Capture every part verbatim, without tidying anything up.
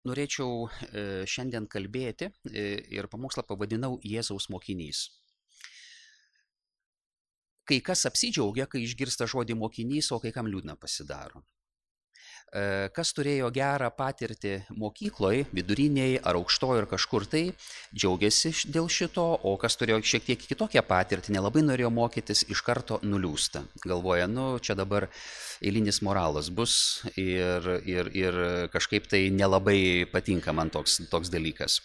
norėčiau e, šiandien kalbėti e, ir pamokslą pavadinau Jėzaus mokinys. Kai kas apsidžiaugia, kai išgirsta žodį mokinys, o kai kam liūdna pasidaro. E, Kas turėjo gerą patirtį mokykloje, viduriniai ar aukštojo ir kažkur tai, džiaugiasi š- dėl šito, o kas turėjo šiek tiek kitokią patirtį, nelabai norėjo mokytis, iš karto nuliūsta. Galvoja, nu čia dabar eilinis moralas bus ir, ir, ir kažkaip tai nelabai patinka man toks, toks dalykas.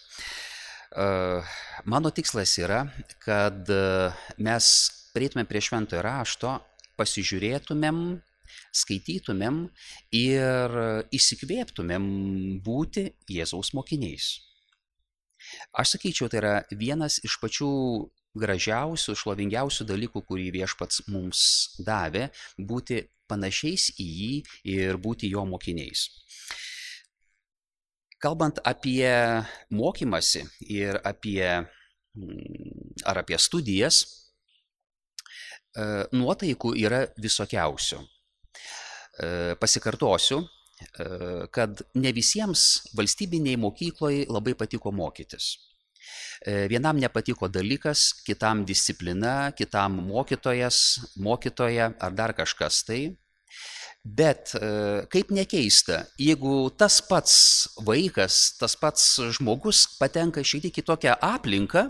E, Mano tikslas yra, kad e, mes prieitume prie šventojo rašto, pasižiūrėtumėm, skaitytumėm ir įsikvėptumėm būti Jėzaus mokiniais. Aš sakyčiau, tai yra vienas iš pačių gražiausių, šlovingiausių dalykų, kurį viešpats mums davė, būti panašiais į jį ir būti jo mokiniais. Kalbant apie mokymasi ir apie, mm, ar apie studijas, e, nuotaikų yra visokiausių. E, Pasikartosiu, e, kad ne visiems valstybiniai mokykloje labai patiko mokytis. E, Vienam nepatiko dalykas, kitam disciplina, kitam mokytojas, mokytoja ar dar kažkas tai. Bet e, kaip nekeista, jeigu tas pats vaikas, tas pats žmogus patenka šiek tiek į tokią aplinką,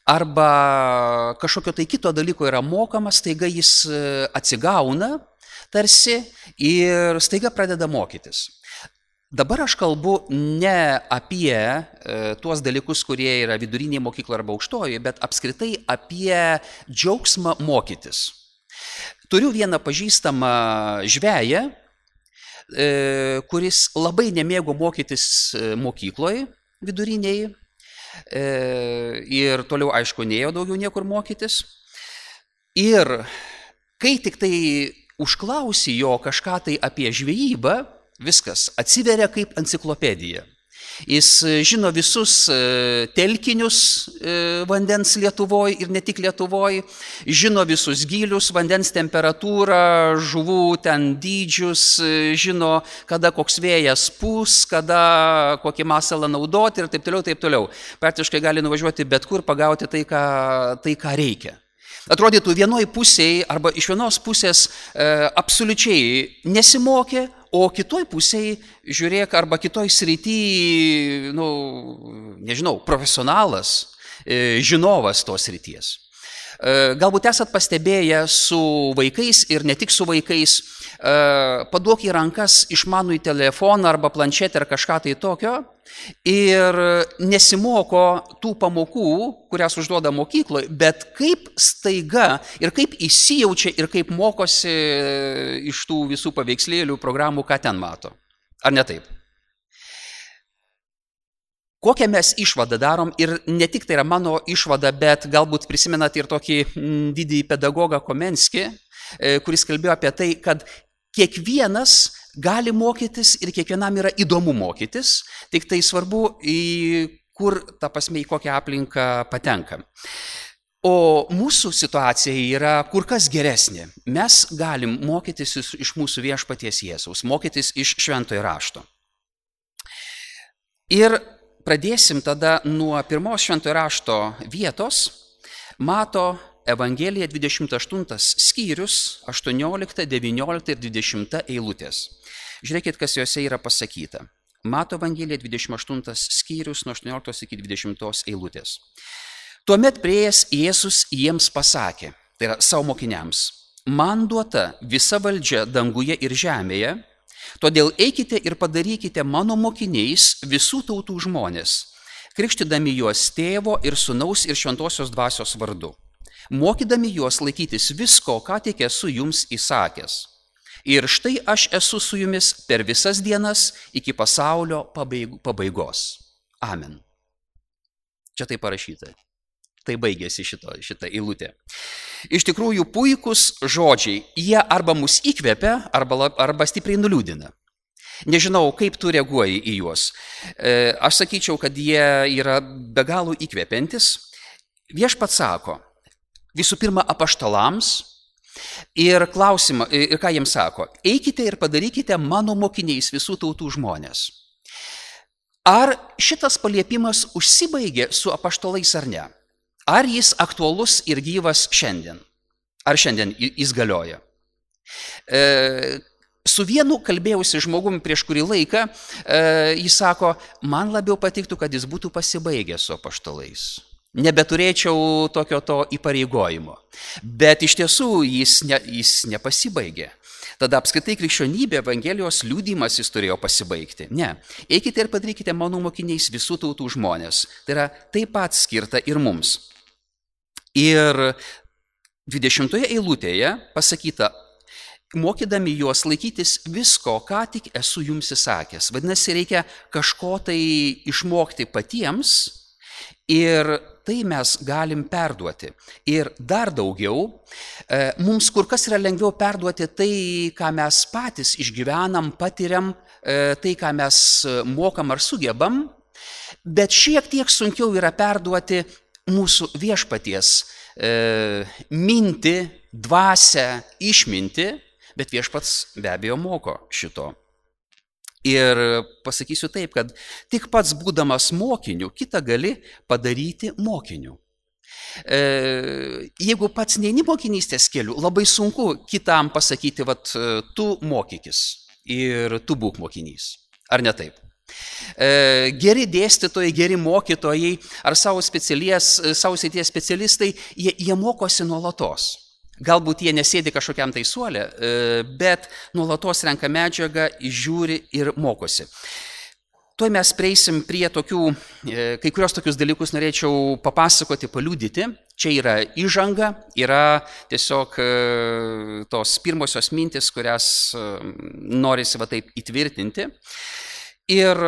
arba kažkokio tai kito dalyko yra mokamas, staiga jis e, atsigauna tarsi ir staiga pradeda mokytis. Dabar aš kalbu ne apie e, tuos dalykus, kurie yra viduriniai mokykloje arba aukštojoje, bet apskritai apie džiaugsmą mokytis. Turiu vieną pažįstamą žveją, e, kuris labai nemėgo mokytis e, mokykloje viduriniai e, ir toliau, aišku, neėjo daugiau niekur mokytis. Ir kai tik tai užklausi jo kažką tai apie žvejybą, viskas atsiveria kaip enciklopedija. Jis e, žino visus e, telkinius e, vandens Lietuvoje ir ne tik Lietuvoje, žino visus gylius, vandens temperatūrą, žuvų ten dydžius, e, žino, kada koks vėjas pūs, kada kokį masalą naudoti ir taip toliau, taip toliau. Praktiškai gali nuvažiuoti bet kur, pagauti tai, ką, tai, ką reikia. Atrodytų, vienoj pusėje arba iš vienos pusės e, absoliučiai nesimokė, o kitoj pusėje, žiūrėk, arba kitoj srity, nu, nežinau, profesionalas, e, žinovas tos srities. E, Galbūt esat pastebėję su vaikais ir ne tik su vaikais, e, paduok į rankas išmanųjį telefoną arba planšetę ar kažką tai tokio ir nesimoko tų pamokų, kurias užduoda mokykloje, bet kaip staiga ir kaip įsijaučia ir kaip mokosi iš tų visų paveikslėlių, programų, ką ten mato. Ar ne taip? Kokią mes išvadą darom ir ne tik tai yra mano išvada, bet galbūt prisimenat ir tokį mm, didįjį pedagogą Komenskį, e, kuris kalbėjo apie tai, kad kiekvienas gali mokytis ir kiekvienam yra įdomu mokytis, tik tai svarbu, į kur, ta prasme, į kokią aplinką patenka. O mūsų situacija yra kur kas geresnė. Mes galim mokytis iš iš mūsų viešpaties Jėzaus, mokytis iš šventojo rašto. Ir pradėsim tada nuo pirmos šventojo rašto vietos, Mato Evangelija dvidešimt aštuntas skyrius, aštuoniolikta, devyniolikta ir dvidešimta eilutės. Žiūrėkit, kas juose yra pasakyta. Mato Evangelija dvidešimt aštuntas skyrius nuo aštuonioliktos iki dvidešimtos eilutės. Tuomet priėjęs Jėzus jiems pasakė, tai yra savo mokiniams, man duota visa valdžia danguje ir žemėje, todėl eikite ir padarykite mano mokiniais visų tautų žmonės, krikštydami juos tėvo ir sūnaus ir šventosios dvasios vardu, mokydami juos laikytis visko, ką tik esu jums įsakęs. Ir štai aš esu su jumis per visas dienas iki pasaulio pabaig- pabaigos. Amen. Čia tai parašyta. Tai baigėsi šito, šita eilutė. Iš tikrųjų, puikūs žodžiai. Jie arba mus įkvepia, arba, lab- arba stipriai nuliūdina. Nežinau, kaip tu reaguoji į juos. E, Aš sakyčiau, kad jie yra be galo įkvepiantis. Viešpats sako, visų pirma, apaštalams ir klausimą, ir ką jiems sako, eikite ir padarykite mano mokiniais visų tautų žmonės. Ar šitas paliepimas užsibaigė su apaštalais ar ne? Ar jis aktualus ir gyvas šiandien? Ar šiandien jis galioja? E, su vienu kalbėjausi žmogumi prieš kurį laiką, e, jis sako, man labiau patiktų, kad jis būtų pasibaigęs su apaštalais. Nebeturėčiau tokio to įpareigojimo. Bet iš tiesų jis, ne, jis nepasibaigė. Tada apskritai krikščionybė, Evangelijos liudymas jis turėjo pasibaigti. Ne. Eikite ir padarykite mano mokiniais visų tautų žmonės. Tai yra taip pat skirta ir mums. Ir dvidešimtoje eilutėje pasakyta, mokydami juos laikytis visko, ką tik esu jums įsakęs. Vadinasi, reikia kažko tai išmokti patiems ir tai mes galim perduoti. Ir dar daugiau, mums kur kas yra lengviau perduoti tai, ką mes patys išgyvenam, patiriam, tai, ką mes mokam ar sugebam, bet šiek tiek sunkiau yra perduoti mūsų viešpaties mintį, dvasią, išmintį, bet viešpats be abejo moko šito. Ir pasakysiu taip, kad tik pats būdamas mokiniu, kitą gali padaryti mokiniu. E, jeigu pats neini mokinystės keliu, labai sunku kitam pasakyti, vat, tu mokykis ir tu būk mokinys. Ar ne taip? E, geri dėstytojai, geri mokytojai ar savo srities specialistai, jie, jie mokosi nuolatos. Galbūt jie nesėdi kažkokiam tai suole, bet nuolatos renka medžiagą, žiūri ir mokosi. Tuoj mes prieisim prie tokių, kai kurios tokius dalykus norėčiau papasakoti, paliudyti. Čia yra įžanga, yra tiesiog tos pirmosios mintis, kurias norisi va taip įtvirtinti. Ir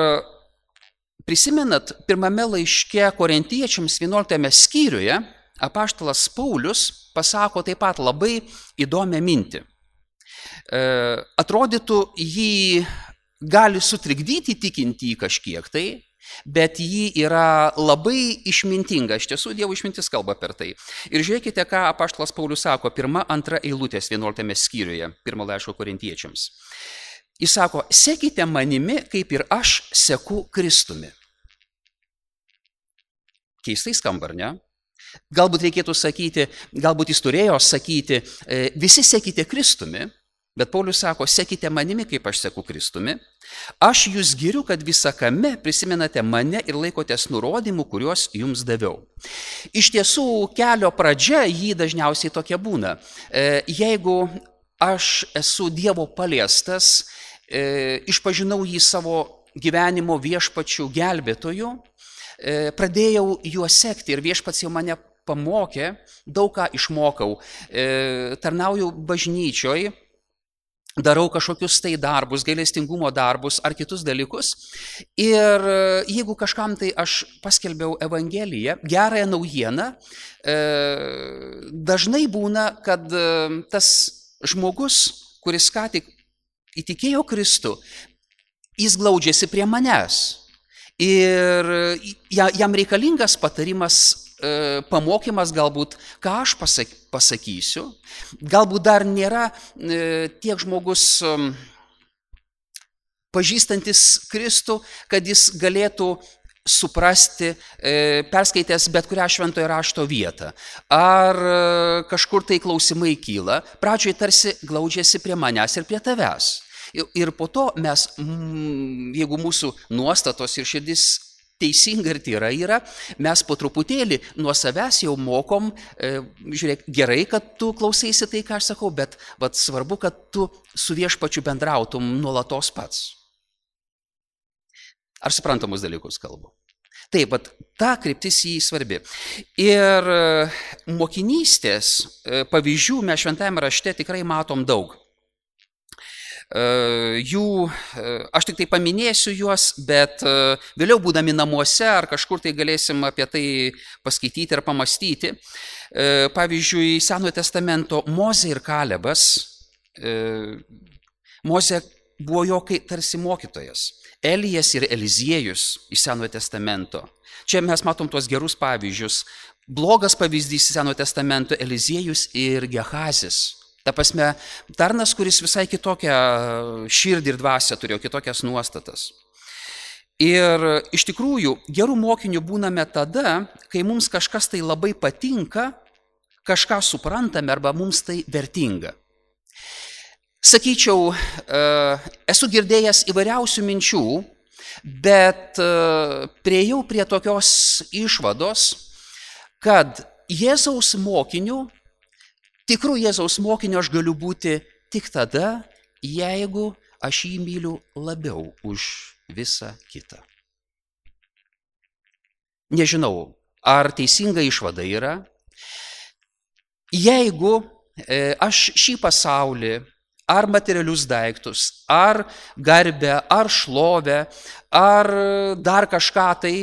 prisimenat, pirmame laiške Korintiečiams vienuoliktame skyriuje apaštalas Paulius pasako taip pat labai įdomią mintį. E, atrodytų, jį gali sutrikdyti tikintį kažkiek tai, bet jį yra labai išmintinga. Iš tiesų, Dievo išmintis kalba per tai. Ir žiūrėkite, ką apaštalas Paulius sako, pirma, antra eilutės vienuoliktame skyriuje, pirmo laiško Korintiečiams. Jis sako, sekite manimi, kaip ir aš seku Kristumi. Keistai skamba, ar ne? Galbūt reikėtų sakyti, galbūt jis turėjo sakyti, visi sekite Kristumi, bet Paulius sako, sekite manimi, kaip aš seku Kristumi. Aš jūs giriu, kad visakame prisimenate mane ir laikotės nurodymų, kuriuos jums daviau. Iš tiesų, kelio pradžia jį dažniausiai tokia būna. Jeigu aš esu Dievo paliestas, išpažinau jį savo gyvenimo viešpačių gelbėtojų, pradėjau juos sekti ir viešpats jau mane pamokė, daug ką išmokau, tarnauju bažnyčioj, darau kažkokius tai darbus, gailestingumo darbus ar kitus dalykus. Ir jeigu kažkam tai aš paskelbiau Evangeliją, gerąją naujieną, dažnai būna, kad tas žmogus, kuris ką tik įtikėjo Kristų, jis glaudžiasi prie manęs. Ir jam reikalingas patarimas, pamokymas galbūt, ką aš pasakysiu. Galbūt dar nėra tiek žmogus pažįstantis Kristų, kad jis galėtų suprasti, perskaitęs bet kurią šventojo rašto vietą. Ar kažkur tai klausimai kyla, pradžioj tarsi glaudžiasi prie manęs ir prie tavęs. Ir po to mes, jeigu mūsų nuostatos ir širdis teisinga ir tyra yra, mes po truputėlį nuo savęs jau mokom, žiūrėk, gerai, kad tu klausaisi tai, ką aš sakau, bet vat, svarbu, kad tu su viešpačiu bendrautum nuolatos pats. Ar suprantamus dalykus kalbu? Taip, bet ta kryptis jį svarbi. Ir mokinystės pavyzdžių mes šventajame rašte tikrai matom daug. Jų, aš tik tai paminėsiu juos, bet vėliau būdami namuose ar kažkur tai galėsim apie tai paskaityti ir pamastyti. Pavyzdžiui, Senojo testamento Mozė ir Kalebas. Mozė buvo jo tarsi mokytojas. Elijas ir Eliziejus iš Senojo testamento. Čia mes matom tuos gerus pavyzdžius. Blogas pavyzdys Senojo testamento Eliziejus ir Gehazis. Ta prasme, tarnas, kuris visai kitokią širdį ir dvasią turėjo, kitokias nuostatas. Ir iš tikrųjų gerų mokinių būname tada, kai mums kažkas tai labai patinka, kažką suprantame arba mums tai vertinga. Sakyčiau, esu girdėjęs įvairiausių minčių, bet priejau prie tokios išvados, kad Jėzaus mokiniu, tikrų Jėzaus mokiniu aš galiu būti tik tada, jeigu aš jį myliu labiau už visą kitą. Nežinau, ar teisinga išvada yra. Jeigu aš šį pasaulį, ar materialius daiktus, ar garbę, ar šlovę, ar dar kažką tai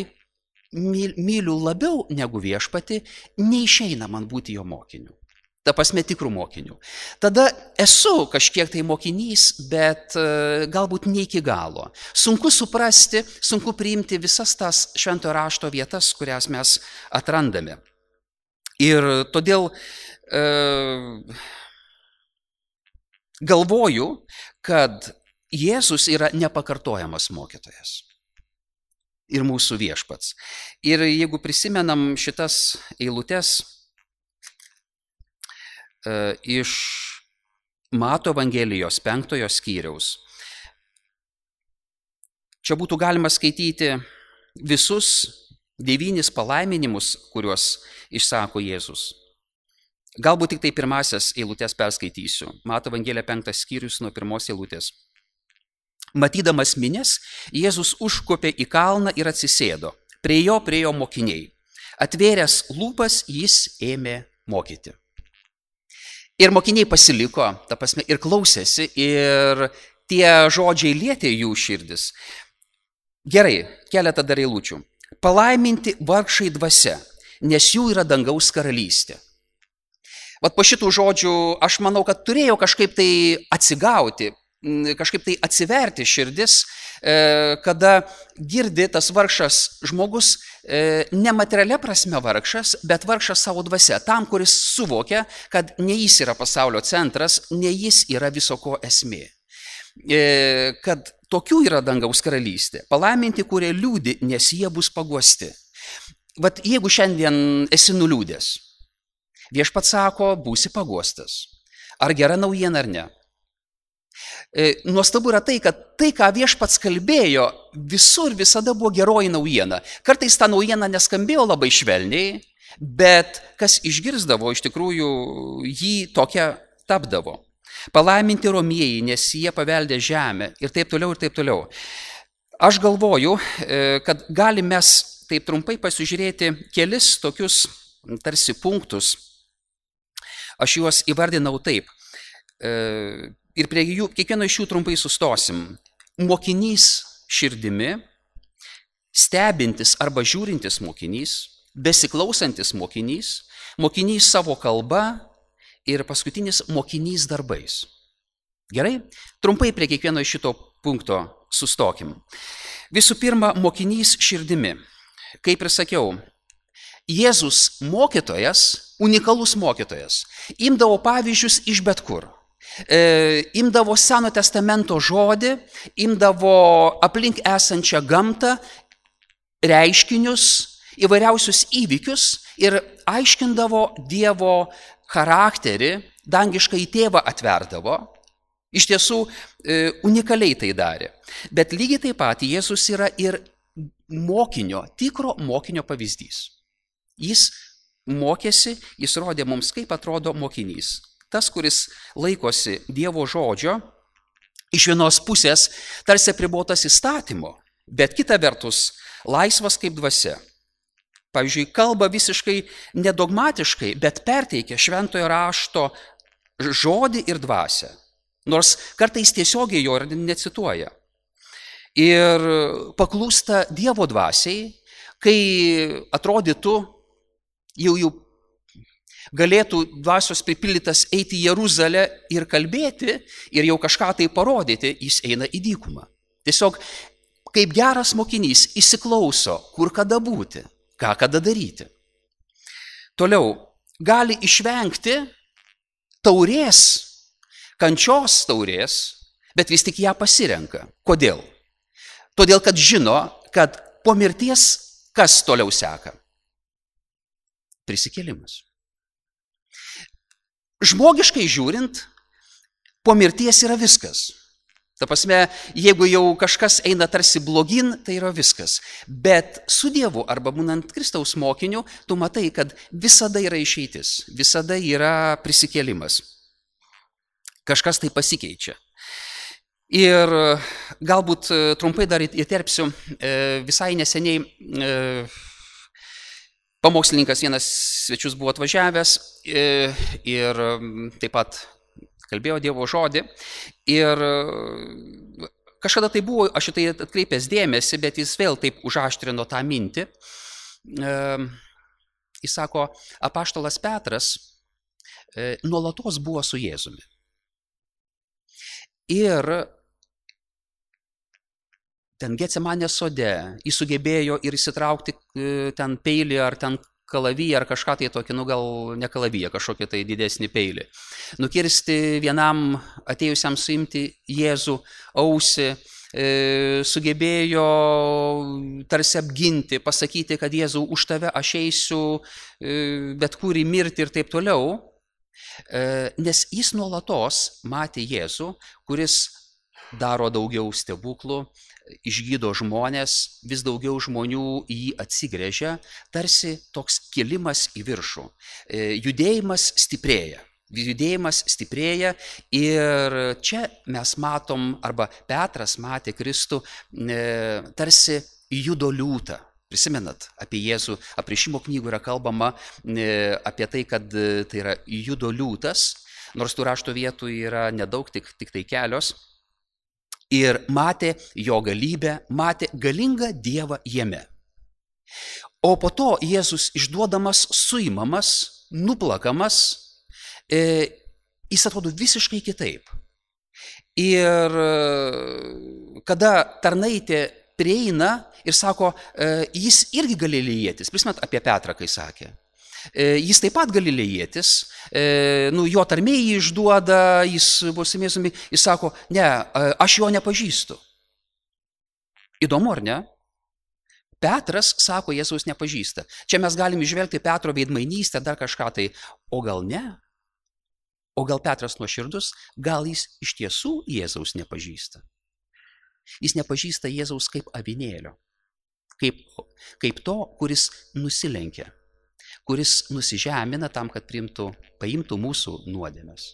myliu labiau negu viešpatį, neišeina man būti jo mokiniu. Ta prasme tikrų mokinių. Tada esu kažkiek tai mokinys, bet galbūt ne iki galo. Sunku suprasti, sunku priimti visas tas šventojo rašto vietas, kurias mes atrandame. Ir todėl e, galvoju, kad Jėzus yra nepakartojamas mokytojas. Ir mūsų viešpats. Ir jeigu prisimenam šitas eilutes iš Mato Evangelijos penktojo skyriaus. Čia būtų galima skaityti visus devynis palaiminimus, kuriuos išsako Jėzus. Galbūt tik tai pirmasias eilutes perskaitysiu. Mato Evangelija penktas skyrius nuo pirmos eilutės. Matydamas minias, Jėzus užkopė į kalną ir atsisėdo. Prie jo priejo mokiniai. Atvėręs lūpas, jis ėmė mokyti. Ir mokiniai pasiliko, ta prasme, ir klausėsi, ir tie žodžiai lietė jų širdis. Gerai, keletą dar eilučių. Palaiminti vargšai dvasia, nes jų yra dangaus karalystė. Vat po šitų žodžių aš manau, kad turėjau kažkaip tai atsigauti, kažkaip tai atsiverti širdis, kada girdi tas vargšas žmogus, nematerialia prasme vargšas, bet vargšas savo dvasia, tam, kuris suvokia, kad ne jis yra pasaulio centras, ne jis yra viso ko esmė. Kad tokių yra dangaus karalystė, palaiminti, kurie liūdi, nes jie bus paguosti. Vat jeigu šiandien esi nuliūdęs, viešpats sako, būsi paguostas. Ar gera naujiena ar ne? Nuostabu yra tai, kad tai, ką viešpats kalbėjo, visur visada buvo geroji naujiena. Kartais ta naujiena neskambėjo labai švelniai, bet kas išgirzdavo, iš tikrųjų jį tokia tapdavo. Palaiminti romieji, nes jie paveldė žemę ir taip toliau ir taip toliau. Aš galvoju, kad galime mes taip trumpai pasižiūrėti kelis tokius tarsi punktus. Aš juos įvardinau taip. Ir prie jų, kiekvieno iš jų trumpai sustosim. Mokinys širdimi, stebintis arba žiūrintis mokinys, besiklausantis mokinys, mokinys savo kalba ir paskutinis mokinys darbais. Gerai? Trumpai prie kiekvieno iš šito punkto sustokim. Visų pirma, mokinys širdimi. Kaip ir sakiau, Jėzus mokytojas, unikalus mokytojas, imdavo pavyzdžius iš bet kur. E, imdavo Seno testamento žodį, imdavo aplink esančią gamtą, reiškinius, įvairiausius įvykius ir aiškindavo Dievo charakterį, dangišką į tėvą atverdavo. Iš tiesų e, unikaliai tai darė. Bet lygiai taip pat Jėzus yra ir mokinio, tikro mokinio pavyzdys. Jis mokėsi, jis rodė mums, kaip atrodo mokinys. Tas, kuris laikosi Dievo žodžio, iš vienos pusės tarsi apribotas įstatymo, bet kita vertus laisvas kaip dvasia. Pavyzdžiui, kalba visiškai nedogmatiškai, bet perteikia šventojo rašto žodį ir dvasią. Nors kartais tiesiogiai jo ir necituoja. Ir paklūsta Dievo dvasiai, kai atrodytų, jau jau galėtų dvasios pripildytas eiti į Jeruzalę ir kalbėti ir jau kažką tai parodyti, jis eina į dykumą. Tiesiog kaip geras mokinys įsiklauso, kur kada būti, ką kada daryti. Toliau, gali išvengti taurės, kančios taurės, bet vis tik ją pasirenka. Kodėl? Todėl, kad žino, kad po mirties kas toliau seka? Prisikėlimas. Žmogiškai žiūrint, po mirties yra viskas. Ta prasme, jeigu jau kažkas eina tarsi blogin, tai yra viskas. Bet su Dievu arba būnant Kristaus mokiniu, tu matai, kad visada yra išeitis, visada yra prisikėlimas. Kažkas tai pasikeičia. Ir galbūt trumpai dar įterpsiu, visai neseniai pamokslininkas vienas svečius buvo atvažiavęs ir taip pat kalbėjo Dievo žodį ir kažkada tai buvo, aš šitai atkreipęs dėmesį, bet jis vėl taip užaštrino tą mintį. Jis sako, apaštalas Petras nuolatos buvo su Jėzumi. Ir ten Getsemanės sode jis sugebėjo ir įsitraukti ten peilį ar ten kalaviją ar kažką tai tokį, nu gal ne kalaviją, kažkokį tai didesnį peilį. Nukirsti vienam atėjusiam suimti Jėzų ausį, e, sugebėjo tarsi apginti, pasakyti, kad Jėzau, už tave aš eisiu e, bet kur į mirtį ir taip toliau, e, nes jis nuolatos matė Jėzų, kuris daro daugiau stebuklų, išgydo žmonės, vis daugiau žmonių į jį atsigręžia, tarsi toks kilimas į viršų. Judėjimas stiprėja, judėjimas stiprėja ir čia mes matom, arba Petras matė Kristų, tarsi judo liūtą. Prisimenat, apie Jėzų apreiškimo knygų yra kalbama apie tai, kad tai yra judo liūtas, nors tų rašto vietų yra nedaug, tik, tik tai kelios. Ir matė jo galybę, matė galingą Dievą jame. O po to Jėzus išduodamas, suimamas, nuplakamas, e, jis atrodo visiškai kitaip. Ir kada tarnaitė prieina ir sako, e, jis irgi galilėjietis, prisimenat apie Petrą, kai sakė. Jis taip pat galilėjietis, nu, jo tarmė jį išduoda, jis bus mėsumi, jis sako, ne, aš jo nepažįstu. Įdomu, ar ne? Petras sako, Jėzaus nepažįsta. Čia mes galim išvelgti Petro veidmainystę, dar kažką tai, o gal ne? O gal Petras nuoširdus, gal jis iš tiesų Jėzaus nepažįsta? Jis nepažįsta Jėzaus kaip avinėlio, kaip, kaip to, kuris nusilenkia, kuris nusižemina tam, kad priimtų, paimtų mūsų nuodėmes.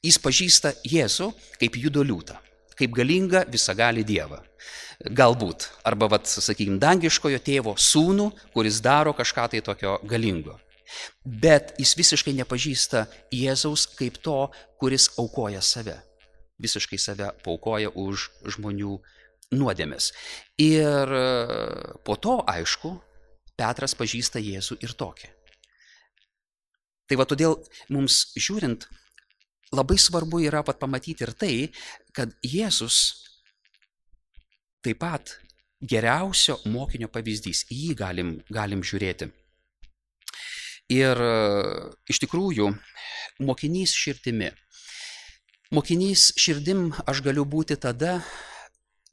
Jis pažįsta Jėzų kaip judo liūtą, kaip galingą visagalį Dievą. Galbūt, arba, vat, sakykime, dangiškojo tėvo sūnų, kuris daro kažką tai tokio galingo. Bet jis visiškai nepažįsta Jėzaus kaip to, kuris aukoja save. Visiškai save paukoja už žmonių nuodėmes. Ir po to, aišku, Petras pažįsta Jėzų ir tokį. Tai va todėl mums žiūrint, labai svarbu yra pat pamatyti ir tai, kad Jėzus taip pat geriausio mokinio pavyzdys, į jį galim, galim žiūrėti. Ir iš tikrųjų, mokinys širdimi. Mokinys širdim aš galiu būti tada,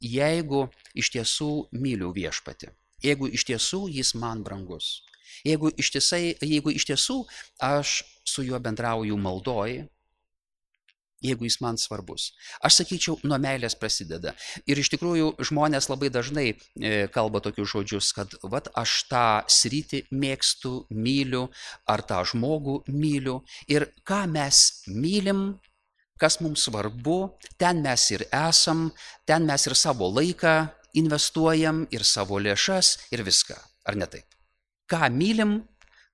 jeigu iš tiesų myliu viešpatį. Jeigu iš tiesų jis man brangus, jeigu iš, tiesai, jeigu iš tiesų aš su juo bendrauju maldoj, jeigu jis man svarbus. Aš sakyčiau, nuo meilės prasideda. Ir iš tikrųjų žmonės labai dažnai e, kalba tokius žodžius, kad vat aš tą sritį mėgstu, myliu, ar tą žmogų myliu. Ir ką mes mylim, kas mums svarbu, ten mes ir esam, ten mes ir savo laiką investuojam, ir savo lėšas, ir viską. Ar ne taip? Ką mylim,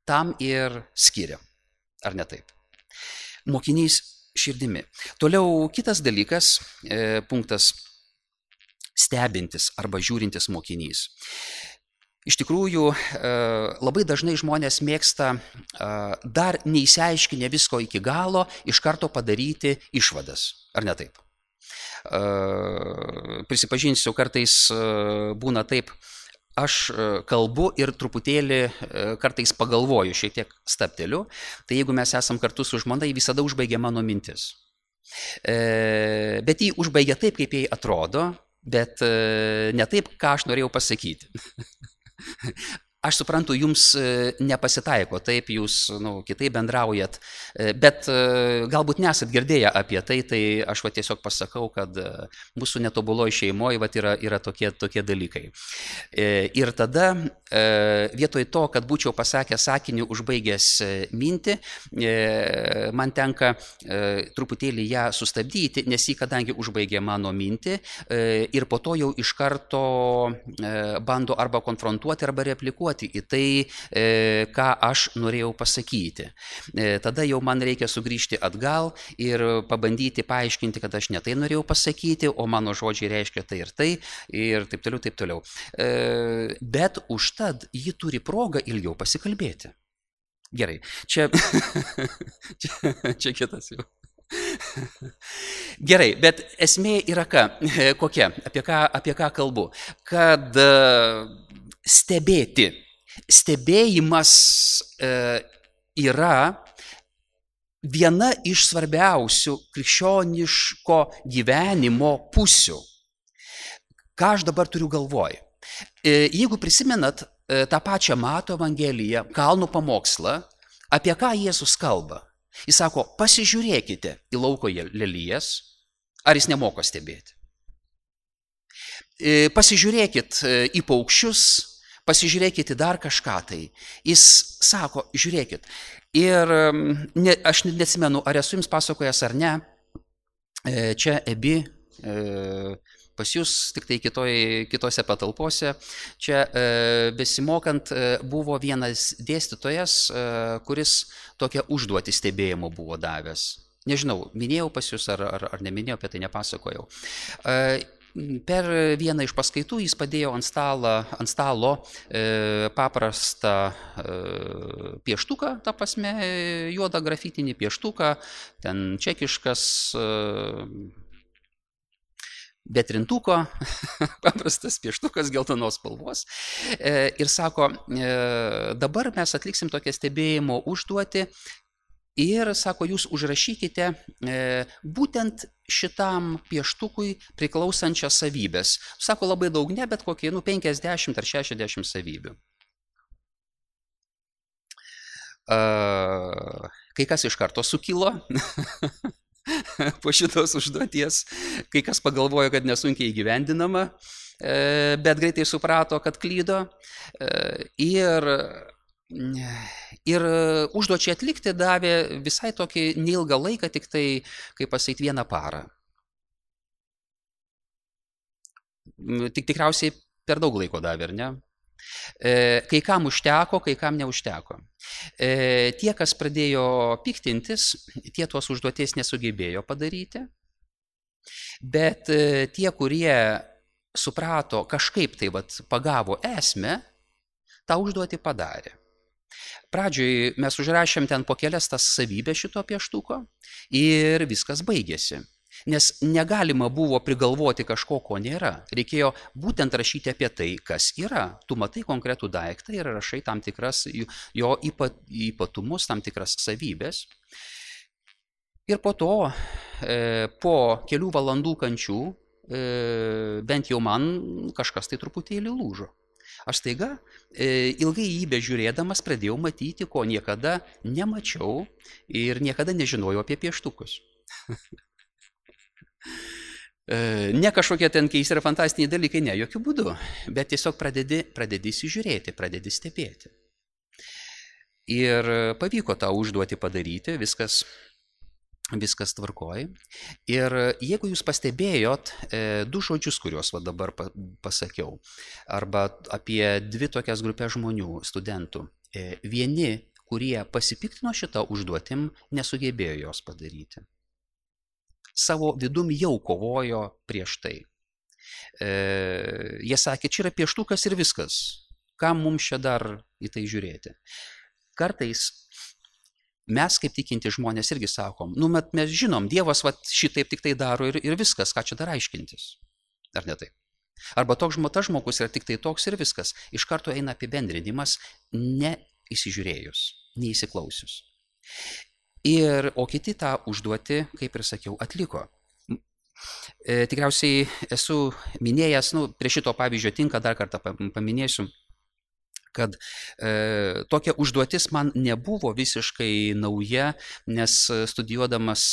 tam ir skiriam. Ar ne taip? Mokinys širdimi. Toliau kitas dalykas, e, punktas stebintis arba žiūrintis mokinys. Iš tikrųjų, e, labai dažnai žmonės mėgsta e, dar neįsiaiškinę visko iki galo, iš karto padaryti išvadas. Ar ne taip? Prisipažinsiu, kartais būna taip, aš kalbu ir truputėlį kartais pagalvoju, šiek tiek stabteliu, tai jeigu mes esam kartu su žmona, jį visada užbaigia mano mintis. Bet jį užbaigia taip, kaip jai atrodo, bet ne taip, ką aš norėjau pasakyti. Aš suprantu, jums nepasitaiko, taip jūs nu, kitaip bendraujat, bet galbūt nesat girdėję apie tai, tai aš va tiesiog pasakau, kad mūsų netobuloji šeimoje va, yra, yra tokie, tokie dalykai. Ir tada vietoj to, kad būčiau pasakęs sakinį užbaigęs mintį, man tenka truputėlį ją sustabdyti, nes jį kadangi užbaigė mano mintį ir po to jau iš karto bando arba konfrontuoti, arba replikuoti į tai, ką aš norėjau pasakyti. Tada jau man reikia sugrįžti atgal ir pabandyti paaiškinti, kad aš ne tai norėjau pasakyti, o mano žodžiai reiškia tai ir tai, ir taip toliau, taip toliau. Bet užtad ji turi progą ilgiau pasikalbėti. Gerai, čia, čia, čia kitas jau. Gerai, bet esmė yra ką, kokia, apie ką, apie ką kalbu, kad stebėti. Stebėjimas e, yra viena iš svarbiausių krikščioniško gyvenimo pusių. Ką aš dabar turiu galvoj? E, jeigu prisimenat e, tą pačią Mato Evangeliją, kalnų pamokslą, apie ką Jėzus kalba? Jis sako, pasižiūrėkite į lauko lelijas, ar jis nemoko stebėti. E, pasižiūrėkit į paukščius, pasižiūrėkite dar kažką tai. Jis sako, žiūrėkit. Ir ne, aš neatsimenu, ar esu jums pasakojęs ar ne, čia Ebi, pas jūs tik tai kitoj, kitose patalpose, čia besimokant buvo vienas dėstytojas, kuris tokią užduotį stebėjimo buvo davęs. Nežinau, minėjau pas jūs ar, ar, ar neminėjau, apie tai nepasakojau. Per vieną iš paskaitų jis padėjo ant stalo, ant stalo e, paprastą e, pieštuką, ta prasme, juodą grafitinį pieštuką, ten čekiškas, e, be trintuko, paprastas pieštukas geltonos spalvos. E, ir sako, e, dabar mes atliksim tokią stebėjimo užduotį. Ir, sako, jūs užrašykite e, būtent šitam pieštukui priklausančias savybės. Sako, labai daug ne, bet kokie, nu, penkiasdešimt ar šešiasdešimt savybių. E, kai kas iš karto sukilo po šitos užduoties, kai kas pagalvojo, kad nesunkiai įgyvendinama, e, bet greitai suprato, kad klydo. E, ir Ir užduočiai atlikti davė visai tokį neilgą laiką, tik tai, kaip pasakyti, vieną parą. Tik tikriausiai per daug laiko davė, ar ne? Kai kam užteko, kai kam neužteko. Tie, kas pradėjo piktintis, tie tos užduoties nesugebėjo padaryti, bet tie, kurie suprato, kažkaip tai vat, pagavo esmę, tą užduotį padarė. Pradžioj mes užrašėm ten po kelias tas savybės šito pieštuko ir viskas baigėsi. Nes negalima buvo prigalvoti kažko, ko nėra. Reikėjo būtent rašyti apie tai, kas yra. Tu matai konkretų daiktą ir rašai tam tikras jo ypatumus, tam tikras savybės. Ir po to, po kelių valandų kančių, bent jau man kažkas tai truputėlį lūžo. Aš staiga ilgai jį bežiūrėdamas pradėjau matyti, ko niekada nemačiau ir niekada nežinojau apie pieštukus. Ne kažkokie ten keisti ir fantastiniai dalykai, ne, jokių būdų, bet tiesiog pradedi, pradedi įsižiūrėti, pradedi stebėti. Ir pavyko tą užduotį padaryti, viskas, viskas tvarkoj. Ir jeigu jūs pastebėjot e, du žodžius, kuriuos va dabar pa, pasakiau, arba apie dvi tokias grupės žmonių, studentų, e, vieni, kurie pasipiktino šitą užduotim, nesugebėjo jos padaryti. Savo vidum jau kovojo prieš tai. E, jie sakė, čia yra pieštukas ir viskas. Kam mums čia dar į tai žiūrėti? Kartais mes, kaip tikinti žmonės, irgi sakom, nu, mes žinom, Dievas va, šitaip tik tai daro ir, ir viskas, ką čia dar aiškintis. Ar ne taip? Arba toks tas žmogus yra tik tai toks ir viskas. Iš karto eina apibendrinimas, neįsižiūrėjus, neįsiklausius. Ir, o kiti tą užduotį, kaip ir sakiau, atliko. Tikriausiai esu minėjęs, nu, prie šito pavyzdžio tinka, dar kartą paminėsiu, kad e, tokia užduotis man nebuvo visiškai nauja, nes studijuodamas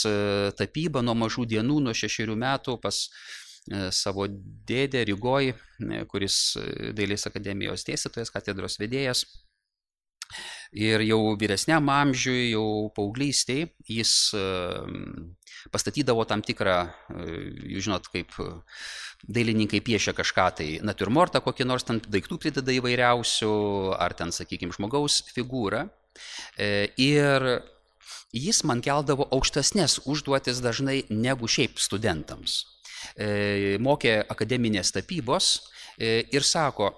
tapybą nuo mažų dienų, nuo šešerių metų pas e, savo dėdę Rygoj, kuris Dailės akademijos dėstytojas, katedros vedėjas, ir jau vyresniam amžiui, jau paauglystėj, jis pastatydavo tam tikrą, jūs žinot, kaip dailininkai piešia kažką, tai natiurmortą kokį nors, ten daiktų prideda įvairiausių, ar ten, sakykime, žmogaus figūrą. Ir jis man keldavo aukštesnės užduotis dažnai negu šiaip studentams. Mokė akademinės tapybos ir sako,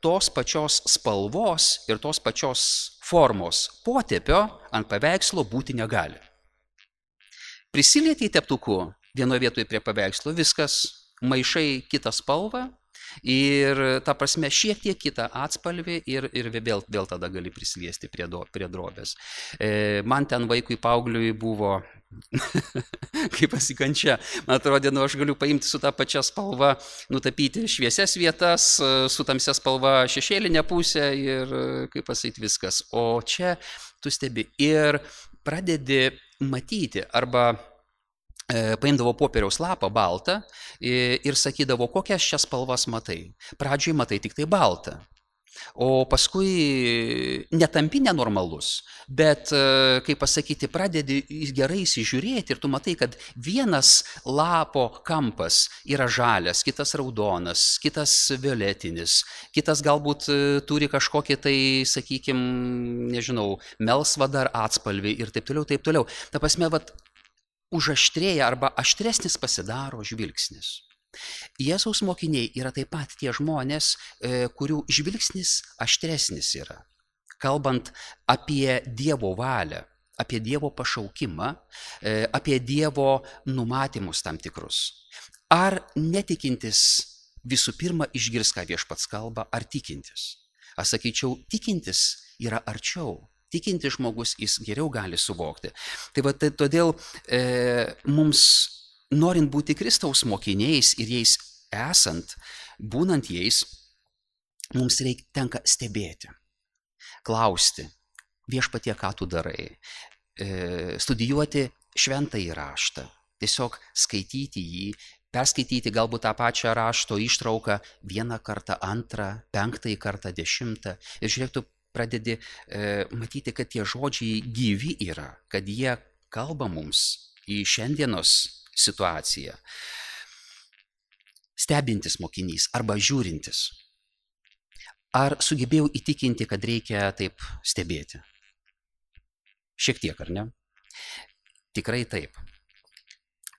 tos pačios spalvos ir tos pačios formos potėpio ant paveikslo būti negali. Prisilietei teptuku vienoje vietoje prie paveikslo, viskas, maišai kitą spalvą ir ta prasme šiek tiek kitą atspalvį ir, ir vėl, vėl tada gali prisiliesti prie, do, prie drobės. E, man ten vaikui paaugliui buvo kaip pasikančia. Man atrodė, nu aš galiu paimti su tą pačią spalvą, nutapyti šviesias vietas, su tamsia spalva šešėlinę pusę ir kaip pasakyti viskas. O čia tu stebi ir pradedi matyti arba e, paimdavo popieriaus lapą baltą ir, ir sakydavo, kokias šias spalvas matai. Pradžioj matai tik tai baltą. O paskui netampi nenormalus, bet, kaip pasakyti, pradedi gerai įsižiūrėti ir tu matai, kad vienas lapo kampas yra žalias, kitas raudonas, kitas violetinis, kitas galbūt turi kažkokį tai, sakykime, nežinau, melsvą dar atspalvį ir taip toliau, taip toliau. Ta prasme, vat, užaštrėja arba aštresnis pasidaro žvilgsnis. Jėzaus mokiniai yra taip pat tie žmonės, kurių žvilgsnis aštresnis yra. Kalbant apie Dievo valią, apie Dievo pašaukimą, apie Dievo numatymus tam tikrus. Ar netikintis visų pirma išgirs, ką Viešpats kalba, ar tikintis? Aš sakyčiau, tikintis yra arčiau. Tikintis žmogus jis geriau gali suvokti. Tai va, tai todėl e, mums norint būti Kristaus mokiniais ir jais esant, būnant jais, mums reikia tenka stebėti, klausti, Viešpatie, ką tu darai, e, studijuoti šventąjį raštą, tiesiog skaityti jį, perskaityti galbūt tą pačią rašto ištrauką vieną kartą, antrą, penktąjį kartą, dešimtą. Ir žiūrėk, tu pradedi e, matyti, kad tie žodžiai gyvi yra, kad jie kalba mums į šiandienos situaciją. Stebintis mokinys arba žiūrintis. Ar sugebėjau įtikinti, kad reikia taip stebėti? Šiek tiek, ar ne? Tikrai taip.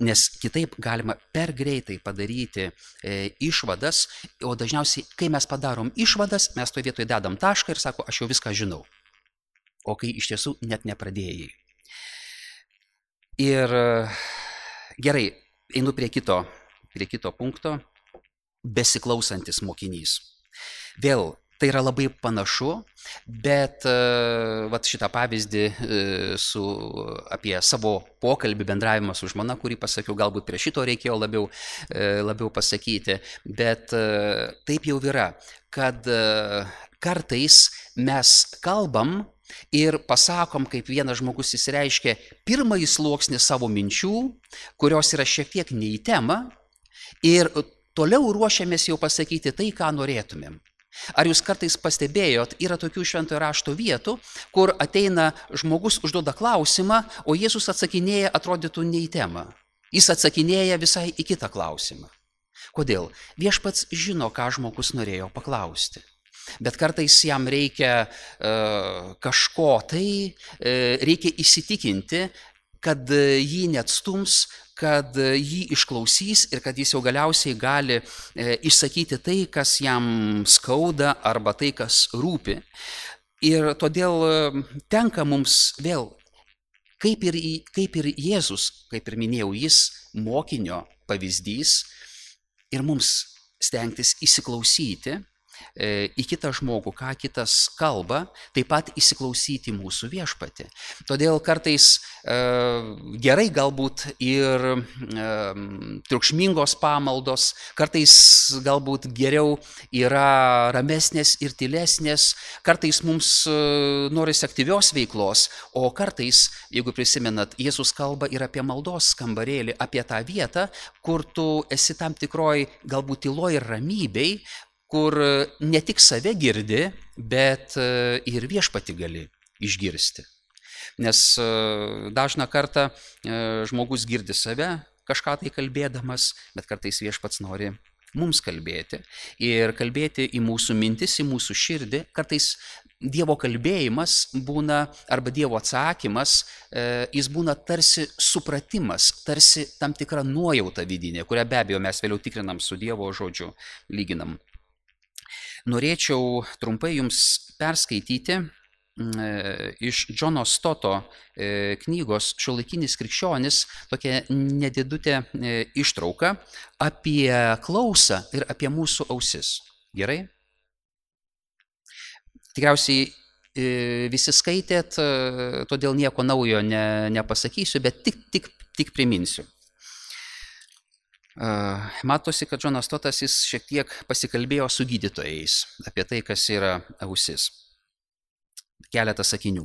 Nes kitaip galima per greitai padaryti e, išvadas, o dažniausiai, kai mes padarom išvadas, mes toje vietoje dedam tašką ir sako, aš jau viską žinau. O kai iš tiesų net nepradėjai. Ir gerai, einu prie kito, prie kito punkto, besiklausantis mokinys. Vėl, tai yra labai panašu, bet vat šitą pavyzdį su, apie savo pokalbį, bendravimą su žmona, kurį pasakiau, galbūt prie šito reikėjo labiau, labiau pasakyti, bet taip jau yra, kad kartais mes kalbam ir pasakom, kaip vienas žmogus įsireiškia, pirmąjį sluoksnį savo minčių, kurios yra šiek tiek ne į temą, ir toliau ruošiamės jau pasakyti tai, ką norėtumėm. Ar jūs kartais pastebėjot, yra tokių šventojo rašto vietų, kur ateina žmogus, užduoda klausimą, o Jėzus atsakinėja, atrodytų ne į temą. Jis atsakinėja visai į kitą klausimą. Kodėl? Viešpats žino, ką žmogus norėjo paklausti. Bet kartais jam reikia uh, kažko tai, uh, reikia įsitikinti, kad uh, jį neatstums, kad uh, jį išklausys ir kad jis jau galiausiai gali uh, išsakyti tai, kas jam skauda arba tai, kas rūpi. Ir todėl uh, tenka mums vėl, kaip ir, kaip ir Jėzus, kaip ir minėjau, jis mokinio pavyzdys ir mums stengtis įsiklausyti į kitą žmogų, ką kitas kalba, taip pat įsiklausyti mūsų viešpatį. Todėl kartais e, gerai galbūt ir e, triukšmingos pamaldos, kartais galbūt geriau yra ramesnės ir tylesnės, kartais mums e, norisi aktyvios veiklos, o kartais, jeigu prisimenat, Jėzus kalba ir apie maldos kambarėlį, apie tą vietą, kur tu esi tam tikroj galbūt tyloj ir ramybei, kur ne tik save girdi, bet ir viešpatį gali išgirsti. Nes dažną kartą žmogus girdi save, kažką tai kalbėdamas, bet kartais viešpats nori mums kalbėti. Ir kalbėti į mūsų mintis, į mūsų širdį. Kartais Dievo kalbėjimas būna, arba Dievo atsakymas, jis būna tarsi supratimas, tarsi tam tikra nuojauta vidinė, kurią be abejo mes vėliau tikrinam su Dievo žodžiu, lyginam. Norėčiau trumpai jums perskaityti iš Džono Stoto knygos Šiuolaikinis krikščionis tokią nedidutę ištrauką apie klausą ir apie mūsų ausis. Gerai? Tikriausiai visi skaitėt, todėl nieko naujo ne, nepasakysiu, bet tik, tik, tik priminsiu. Matosi, kad Džonas Stotas jis šiek tiek pasikalbėjo su gydytojais apie tai, kas yra ausis. Keletą sakinių.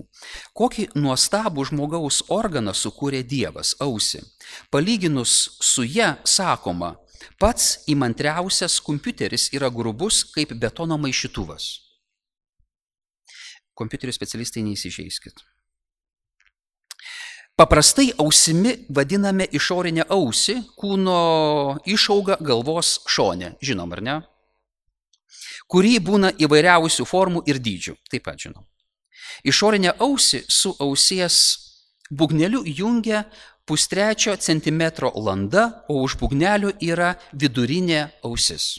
Kokį nuostabų žmogaus organą sukūrė Dievas, ausį. Palyginus su ja, sakoma, pats įmantriausias kompiuteris yra grubus kaip betono maišytuvas. Kompiuterių specialistai neįsižeiskit. Paprastai ausimi vadiname išorinę ausį, kūno išauga galvos šone, žinom ar ne? Kuri būna įvairiausių formų ir dydžių, taip pat žinom. Išorinę ausį su ausies būgneliu jungia pustrečio centimetro landa, o už būgnelio yra vidurinė ausis,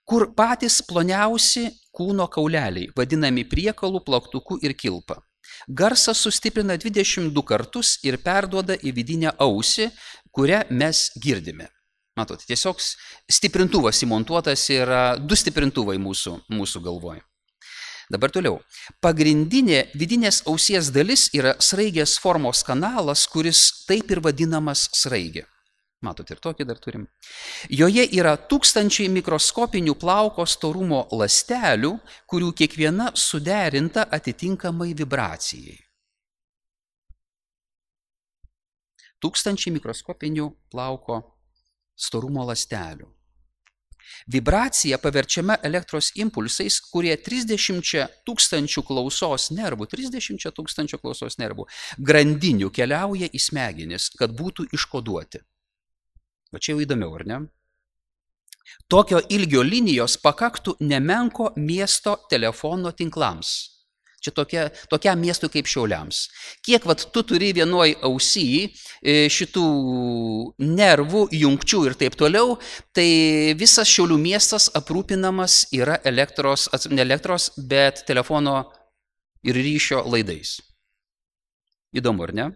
kur patys ploniausi kūno kauleliai, vadinami priekalų, plaktuku ir kilpa. Garsas sustiprina dvidešimt du kartus ir perduoda į vidinę ausį, kurią mes girdime. Matot, tiesiog stiprintuvas įmontuotas yra du stiprintuvai mūsų, mūsų galvoje. Dabar toliau. Pagrindinė vidinės ausies dalis yra sraigės formos kanalas, kuris taip ir vadinamas sraigė. Matot, ir tokį dar turim. Joje yra tūkstančiai mikroskopinių plauko storumo ląstelių, kurių kiekviena suderinta atitinkamai vibracijai. Tūkstančiai mikroskopinių plauko storumo ląstelių. Vibracija paverčiama elektros impulsais, kurie trisdešimt tūkstančių klausos nervų, trisdešimt tūkstančių klausos nervų grandinių keliauja į smegenis, kad būtų iškoduoti. Va čia jau įdomiau, ar ne? Tokio ilgio linijos pakaktų nemenko miesto telefono tinklams. Čia tokia, tokiam miestui kaip Šiauliams. Kiek vat, tu turi vienoj ausy šitų nervų, jungčių ir taip toliau, tai visas Šiaulių miestas aprūpinamas yra elektros, ne elektros, bet telefono ir ryšio laidais. Įdomu, ar ne?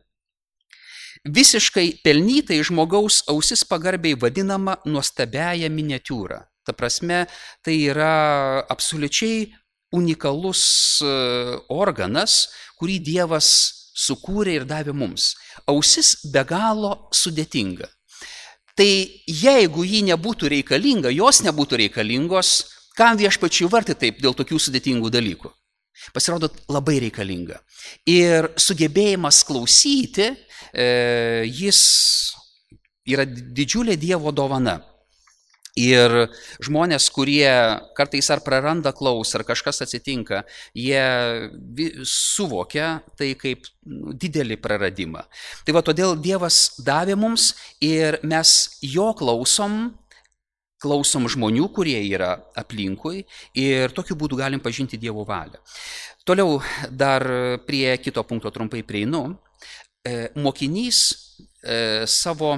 Visiškai pelnytai žmogaus ausis pagarbiai vadinama nuostabiaja miniatiūra. Ta prasme, tai yra absoliučiai unikalus organas, kurį Dievas sukūrė ir davė mums. Ausis be galo sudėtinga. Tai jeigu ji nebūtų reikalinga, jos nebūtų reikalingos, kam viešpačiui vartai taip dėl tokių sudėtingų dalykų? Pasirodo, labai reikalinga. Ir sugebėjimas klausyti, e, jis yra didžiulė Dievo dovana. Ir žmonės, kurie kartais ar praranda klausą, ar kažkas atsitinka, jie suvokia tai kaip didelį praradimą. Tai va, todėl Dievas davė mums ir mes jo klausom, klausom žmonių, kurie yra aplinkui ir tokiu būdu galim pažinti Dievo valią. Toliau dar prie kito punkto trumpai prieinu. Mokinys savo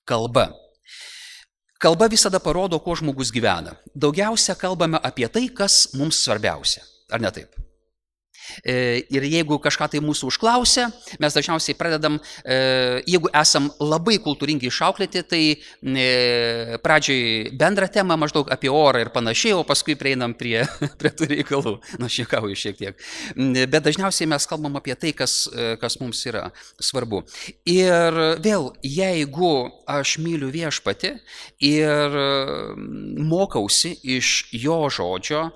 kalba. Kalba visada parodo, kuo žmogus gyvena. Daugiausia kalbame apie tai, kas mums svarbiausia. Ar ne taip? Ir jeigu kažką tai mūsų užklausia, mes dažniausiai pradedam, jeigu esam labai kultūringai išauklėti, tai pradžioj bendrą temą maždaug apie orą ir panašiai, o paskui prieinam prie, prie tų reikalų. Nu, šiekauju šiek tiek. Bet dažniausiai mes kalbam apie tai, kas, kas mums yra svarbu. Ir vėl, jeigu aš myliu viešpatį ir mokausi iš jo žodžio,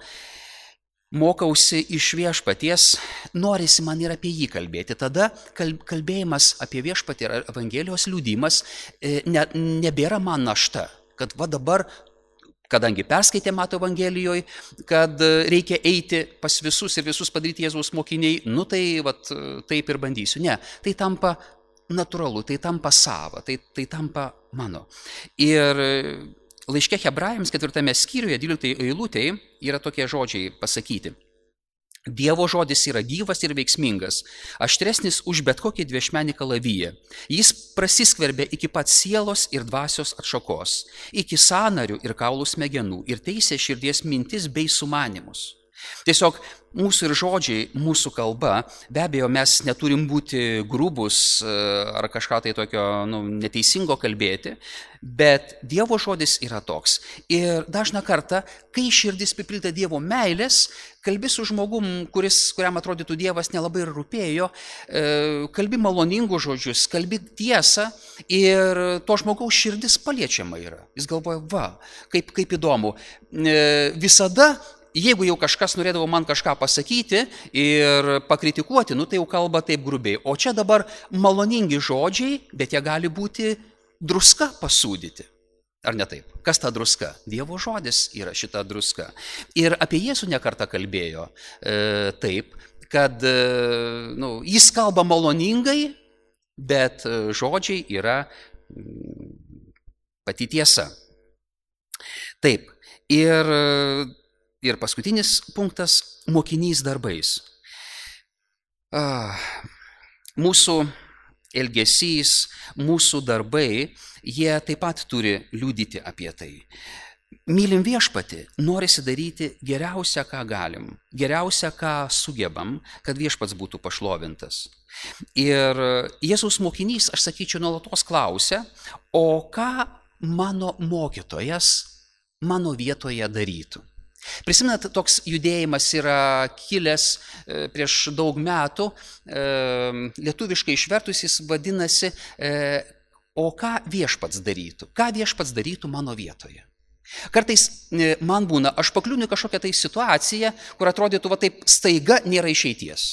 mokausi iš viešpaties, norisi man ir apie jį kalbėti. Tada kalbėjimas apie viešpatį ir Evangelijos liudimas ne, nebėra man našta, kad va dabar, kadangi perskaitė Mato Evangelijoje, kad reikia eiti pas visus ir visus padaryti Jėzaus mokiniai, nu tai va, taip ir bandysiu. Ne, tai tampa natūralu, tai tampa sava, tai, tai tampa mano. Ir laiške Hebrajams ketvirtame skyriuje, dvyliktoje eilutėje, yra tokie žodžiai pasakyti. Dievo žodis yra gyvas ir veiksmingas, aštresnis už bet kokį dviašmenį kalaviją. Jis prasiskverbia iki pat sielos ir dvasios atšakos, iki sąnarių ir kaulų smegenų ir teisė širdies mintis bei sumanimus. Tiesiog mūsų ir žodžiai, mūsų kalba, be abejo, mes neturim būti grubus ar kažką tai tokio nu, neteisingo kalbėti, bet Dievo žodis yra toks. Ir dažną kartą, kai širdis pripildyta Dievo meilės, kalbi su žmogum, kuris, kuriam atrodytų Dievas nelabai ir rūpėjo, kalbi maloningų žodžius, kalbi tiesą ir to žmogaus širdis paliečiama yra. Jis galvoja, va, kaip, kaip įdomu. Visada jeigu jau kažkas norėdavo man kažką pasakyti ir pakritikuoti, nu tai jau kalba taip grubiai. O čia dabar maloningi žodžiai, bet jie gali būti druska pasūdyti. Ar ne taip? Kas ta druska? Dievo žodis yra šita druska. Ir apie Jėzų nekartą kalbėjo e, taip, kad e, nu, jis kalba maloningai, bet žodžiai yra pati tiesa. Taip. Ir Ir paskutinis punktas – mokinys darbais. Mūsų elgesys, mūsų darbai, jie taip pat turi liudyti apie tai. Mylim viešpatį, norisi daryti geriausia, ką galim, geriausia, ką sugebam, kad viešpats būtų pašlovintas. Ir Jėzaus mokinys, aš sakyčiau, nuolatos klausia, o ką mano mokytojas mano vietoje darytų? Prisimenat, toks judėjimas yra kilęs prieš daug metų, lietuviškai išvertus jis vadinasi, o ką viešpats darytų, ką viešpats darytų mano vietoje. Kartais man būna, aš pakliūnu kažkokią tai situaciją, kur atrodytų, va taip staiga nėra išeities.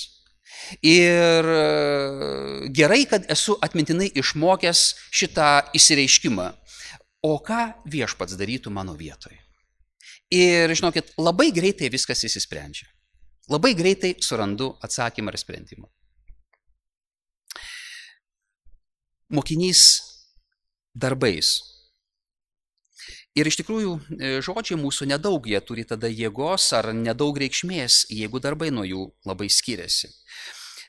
Ir gerai, kad esu atmintinai išmokęs šitą išsireiškimą, o ką viešpats darytų mano vietoje. Ir, žinokit, labai greitai viskas įsisprendžia. Labai greitai surandu atsakymą ir sprendimą. Mokinys darbais. Ir iš tikrųjų žodžiai mūsų nedaug, jie turi tada jėgos ar nedaug reikšmės, jeigu darbai nuo jų labai skiriasi.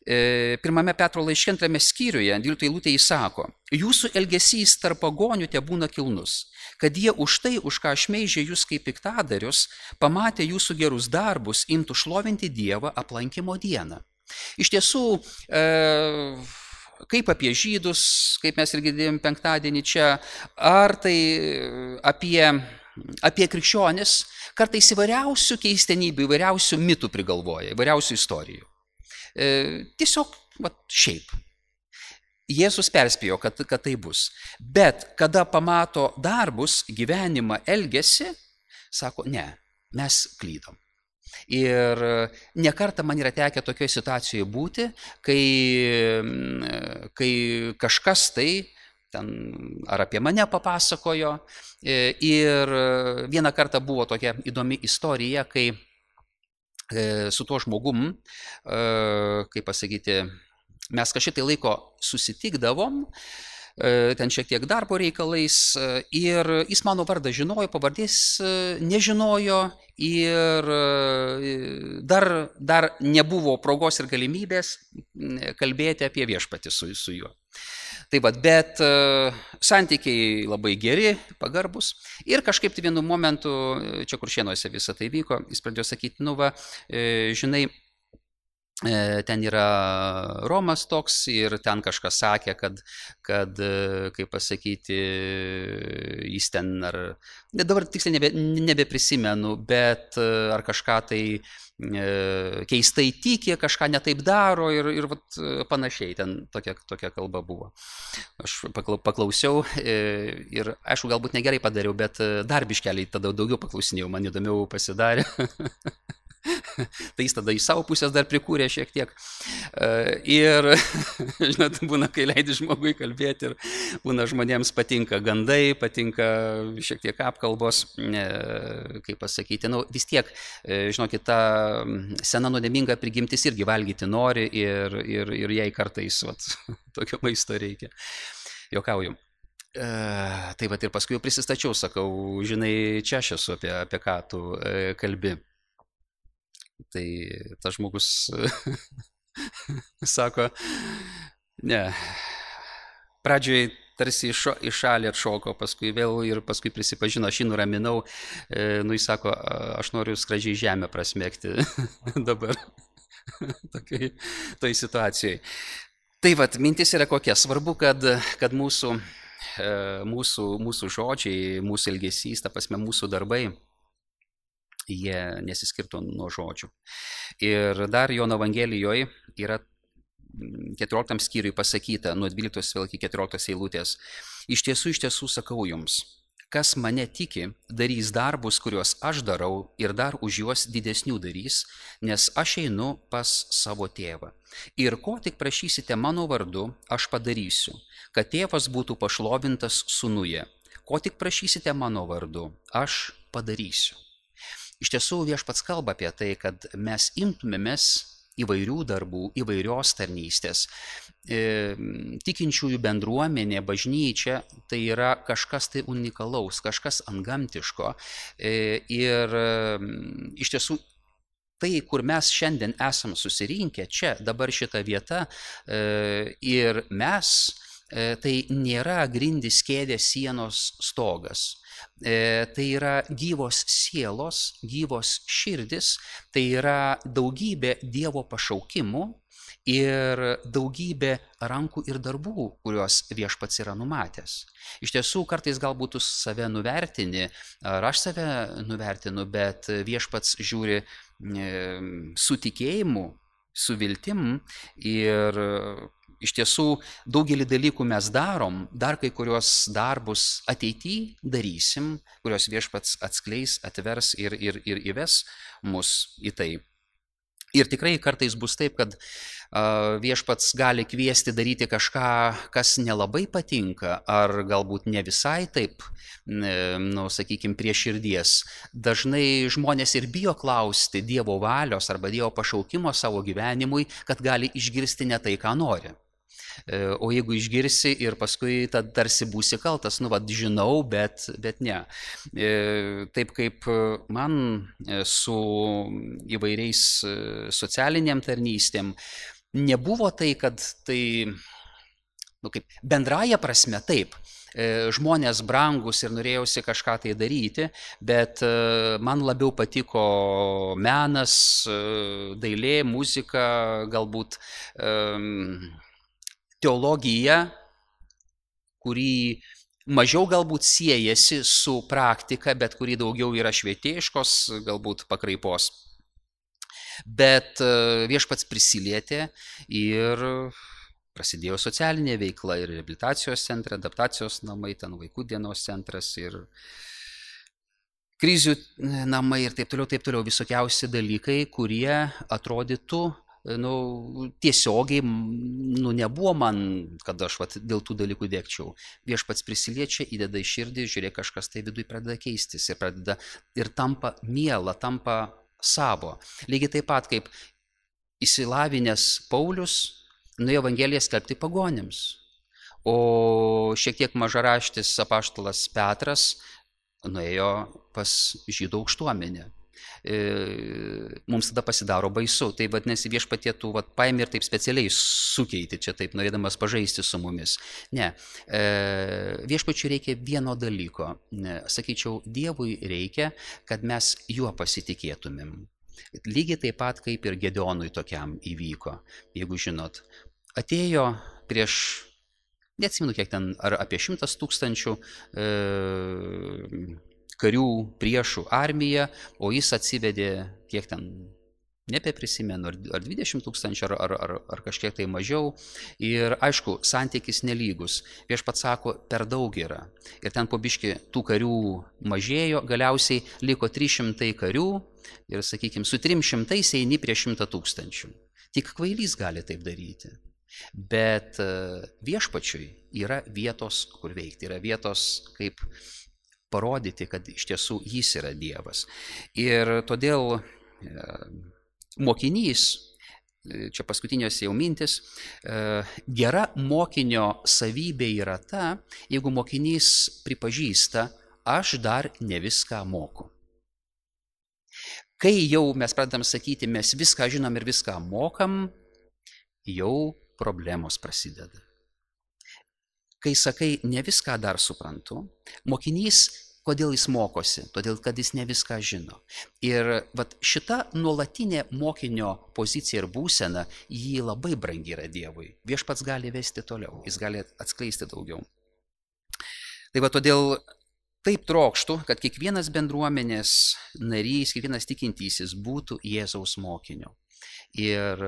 Pirmame Petro laiške antrame skyriuje, dvyliktoje eilutėje jis sako, jūsų elgesys tarp pagonių tebūna kilnus, kad jie už tai, už ką šmeižė jūs kaip piktadarius, pamatę jūsų gerus darbus, imtų šlovinti Dievą aplankimo dieną. Iš tiesų, kaip apie žydus, kaip mes ir girdėjom penktadienį čia, ar tai apie, apie krikščionis, kartais įvairiausių keistenybių, įvairiausių mitų prigalvoja, įvairiausių istorijų. Tiesiog, va, šiaip. Jėzus perspėjo, kad, kad tai bus. Bet kada pamato darbus, gyvenimą, elgesį, sako, ne, mes klydom. Ir nekartą man yra tekę tokioje situacijoje būti, kai, kai kažkas tai ten ar apie mane papasakojo. Ir vieną kartą buvo tokia įdomi istorija, kai su tuo žmogum, kaip pasakyti, mes kažkiek tai laiko susitikdavom, ten šiek tiek darbo reikalais ir jis mano vardą žinojo, pavardės nežinojo ir dar, dar nebuvo progos ir galimybės kalbėti apie viešpatį su, su juo. Tai va, bet santykiai labai geri, pagarbus ir kažkaip tai vienu momentu, čia Kuršėnuose visą tai vyko, jis pradėjo sakyti, nu va, žinai, ten yra Romas toks ir ten kažkas sakė, kad, kad kaip pasakyti, jis ten ar, dabar tiksliai nebe, nebeprisimenu, bet ar kažką tai keistai tiki, kažką netaip daro ir, ir vat, panašiai, ten tokia, tokia kalba buvo. Aš paklausiau ir, aišku, galbūt negerai padariau, bet dar biškeliai tada daugiau paklausinėjau, man įdomiau pasidarė. Tai jis tada iš savo pusės dar prikūrė šiek tiek. Ir, žinot, būna, kai leidi žmogui kalbėti ir būna žmonėms patinka gandai, patinka šiek tiek apkalbos, kaip pasakyti, nu, vis tiek, žinokit, ta sena nuodėminga prigimtis irgi valgyti nori ir, ir, ir jai kartais, vat, tokio maisto reikia. Jokauju. Tai vat ir paskui jau prisistačiau, sakau, žinai, čia aš esu, apie, apie ką tu kalbi. Tai tas žmogus sako, ne, pradžioj tarsi į šalį atšoko, paskui vėl ir paskui prisipažino, aš jį nuraminau, nu jis sako, aš noriu skradžiai žemę prasmegti dabar tokiai toj situacijai. Tai vat, mintis yra kokia, svarbu, kad, kad mūsų, mūsų, mūsų žodžiai, mūsų elgesys, ta prasme, mūsų darbai, jie nesiskirtų nuo žodžių. Ir dar Jono Evangelijoje yra keturioliktam skyriui pasakyta, nuo dvyliktos vėl iki keturioliktos eilutės. Iš tiesų, iš tiesų sakau jums, kas mane tiki, darys darbus, kuriuos aš darau ir dar už juos didesnių darys, nes aš einu pas savo tėvą. Ir ko tik prašysite mano vardu, aš padarysiu, kad tėvas būtų pašlovintas sūnuje. Ko tik prašysite mano vardu, aš padarysiu. Iš tiesų viešpats kalba apie tai, kad mes imtumėmės įvairių darbų, įvairios tarnystės. E, tikinčiųjų bendruomenė, bažnyčia, tai yra kažkas tai unikalaus, kažkas antgamtiško. E, ir e, iš tiesų tai, kur mes šiandien esam susirinkę, čia, dabar šita vieta, e, ir mes, e, tai nėra grindys, kėdės, sienos, stogas. E, tai yra gyvos sielos, gyvos širdis, tai yra daugybė Dievo pašaukimų ir daugybė rankų ir darbų, kuriuos viešpats yra numatęs. Iš tiesų, kartais galbūt tu save nuvertini, ar aš save nuvertinu, bet viešpats žiūri e, su tikėjimu, su viltim ir iš tiesų daugelį dalykų mes darom, dar kai kurios darbus ateityje darysim, kurios viešpats atskleis, atvers ir, ir, ir įves mus į tai. Ir tikrai kartais bus taip, kad uh, viešpats gali kviesti daryti kažką, kas nelabai patinka, ar galbūt ne visai taip, nu, sakykime, prie širdies. Dažnai žmonės ir bijo klausti Dievo valios arba Dievo pašaukimo savo gyvenimui, kad gali išgirsti ne tai, ką nori. O jeigu išgirsi ir paskui tad tarsi būsi kaltas, nu, vad, žinau, bet, bet ne. Taip kaip man su įvairiais socialiniam tarnystėm nebuvo tai, kad tai, nu, kaip bendraja prasme, taip, žmonės brangus ir norėjausi kažką tai daryti, bet man labiau patiko menas, dailė, muzika, galbūt teologija, kuri mažiau galbūt siejasi su praktika, bet kuri daugiau yra švietėjiškos, galbūt pakraipos. Bet viešpats prisilietė ir prasidėjo socialinė veikla ir reabilitacijos centrai, adaptacijos namai, ten vaikų dienos centras ir krizių namai ir taip toliau, taip toliau, visokiausi dalykai, kurie atrodytų, nu, tiesiogiai, nu, nebuvo man, kad aš vat, dėl tų dalykų dėkčiau. Viešpats prisiliečia, įdeda į širdį, žiūrėk, kažkas tai viduje pradeda keistis ir, pradeda, ir tampa miela, tampa savo. Lygiai taip pat kaip išsilavinęs Paulius nuėjo Evangeliją skelbti pagonims, o šiek tiek mažaraštis apaštalas Petras nuėjo pas žydų aukštuomenę. Mums tada pasidaro baisu. Tai vadinasi, viešpatie tu vat, paėmė ir taip specialiai sukeiti čia taip, norėdamas pažaisti su mumis. Ne, viešpačiui reikia vieno dalyko. Sakyčiau, Dievui reikia, kad mes juo pasitikėtumėm. Lygiai taip pat kaip ir Gedeonui tokiam įvyko, jeigu žinot. Atėjo prieš, neatsimenu kiek ten, ar apie šimtas tūkstančių e, karių priešų armiją, o jis atsivedė, kiek ten, nebeprisimenu, ar, ar dvidešimt tūkstančių, ar, ar, ar, ar kažkiek tai mažiau. Ir aišku, santykis nelygus. Viešpats sako, per daug yra. Ir ten po biškį tų karių mažėjo, galiausiai liko trys šimtai karių ir, sakykime, su trim šimtais eini prie šimto tūkstančių. Tik kvailys gali taip daryti. Bet viešpačiui yra vietos, kur veikti, yra vietos, kaip parodyti, kad iš tiesų jis yra Dievas. Ir todėl mokinys, čia paskutinios jau mintis, gera mokinio savybė yra ta, jeigu mokinys pripažįsta, aš dar ne viską moku. Kai jau mes pradedam sakyti, mes viską žinom ir viską mokam, jau problemos prasideda. Kai sakai, ne viską dar suprantu, mokinys, kodėl jis mokosi? Todėl, kad jis ne viską žino. Ir vat, šita nuolatinė mokinio pozicija ir būsena, jį labai brangi yra Dievui. Viešpats gali vesti toliau, jis gali atskleisti daugiau. Tai va, todėl taip trokštų, kad kiekvienas bendruomenės narys, kiekvienas tikintysis būtų Jėzaus mokiniu. Ir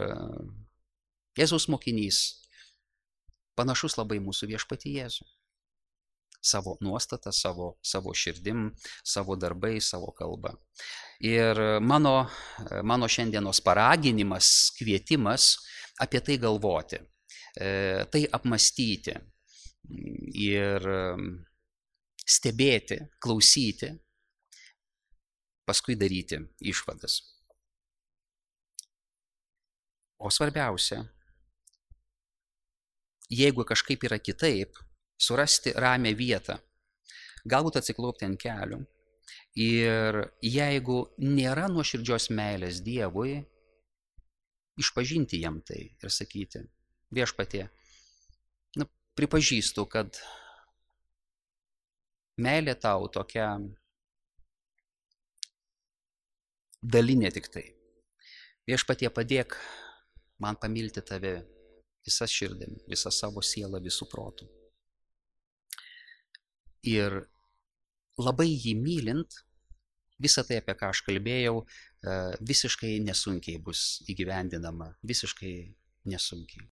Jėzaus mokinys panašus labai mūsų viešpatį Jėzų. Savo nuostatą, savo, savo širdim, savo darbai, savo kalbą. Ir mano, mano šiandienos paraginimas, kvietimas apie tai galvoti, tai apmastyti ir stebėti, klausyti, paskui daryti išvadas. O svarbiausia, jeigu kažkaip yra kitaip, surasti ramią vietą, galbūt atsiklaupti ant kelių ir jeigu nėra nuoširdžios meilės Dievui, išpažinti jam tai ir sakyti, viešpatie, nu, pripažįstu, kad meilė tau tokia dalinė tik tai. Viešpatie, padėk man pamilti tave visą širdim, visą savo sielą, visų protų. Ir labai jį mylint, visą tai, apie ką aš kalbėjau, visiškai nesunkiai bus įgyvendinama, visiškai nesunkiai.